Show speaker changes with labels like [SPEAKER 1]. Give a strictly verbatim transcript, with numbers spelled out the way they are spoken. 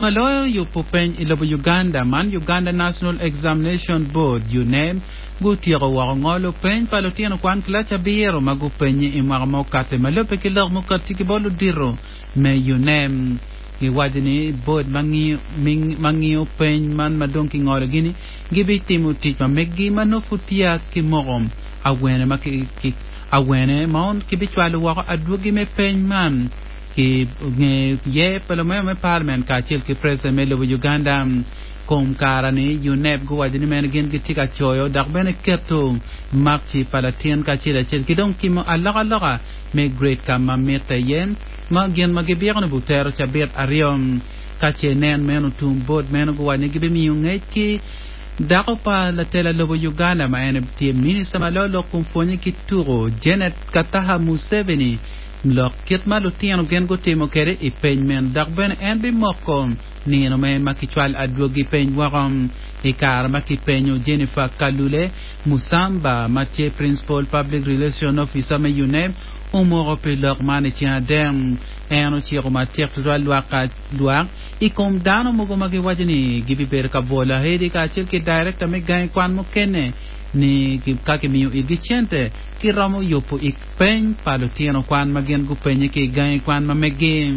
[SPEAKER 1] Maloyo yubo peny i lobo Uganda man Uganda National Examination Board UNEB gutyeko woko ngolo peny pa lutino kwan kilaci abiro ma gupenye i mwaka ma okate ma lubbe ki lok mukati ki bot ludito me UNEB giwaco ni board ma ngiyo peny man ma dong kingolo gini gibitimo tic ma meggi ma nongo pud peya kimoko awene ma awene ma kibicwalo woko adwogi me peny man ki nge ye pa lumemba me parliament kacel ki president me lobo Uganda kom kara ni UNEB guwaco ni meno gin gitye ka coyo dok bene keto makci pa latin kacel acel ki dong timo alokaloka me grade ka ma mitte iye ma gin ma gibiko ni butero cabit aryo ka ce nen meno tum board meno guwaco ni gibimiyo ngec ki dako pa latela lobo Uganda ma en tye minista ma loyo lok kom pwonye ki tuko Janet Kataha Museveni lok kit ma lutino gin gutimo kwede i peny meno dok bene en bimoko nino me ma kicwalo adwogi peny woko i kare ma kipenyo Jennifer Kalule Musamba ma tye Principal Public Relation Officer me UNEB omoko pi lok man i ceng adek en ociko matek tutwal lwak lwak i kom dano mogo ma giwaco ni gibibedo ka bwolo ahedi kacel ki director me gangi kwan mukene ni ka kimiyo igi cente kiromo yubo i peny pa lutino kwan ma gin gupenye ki i gangi kwan ma megi.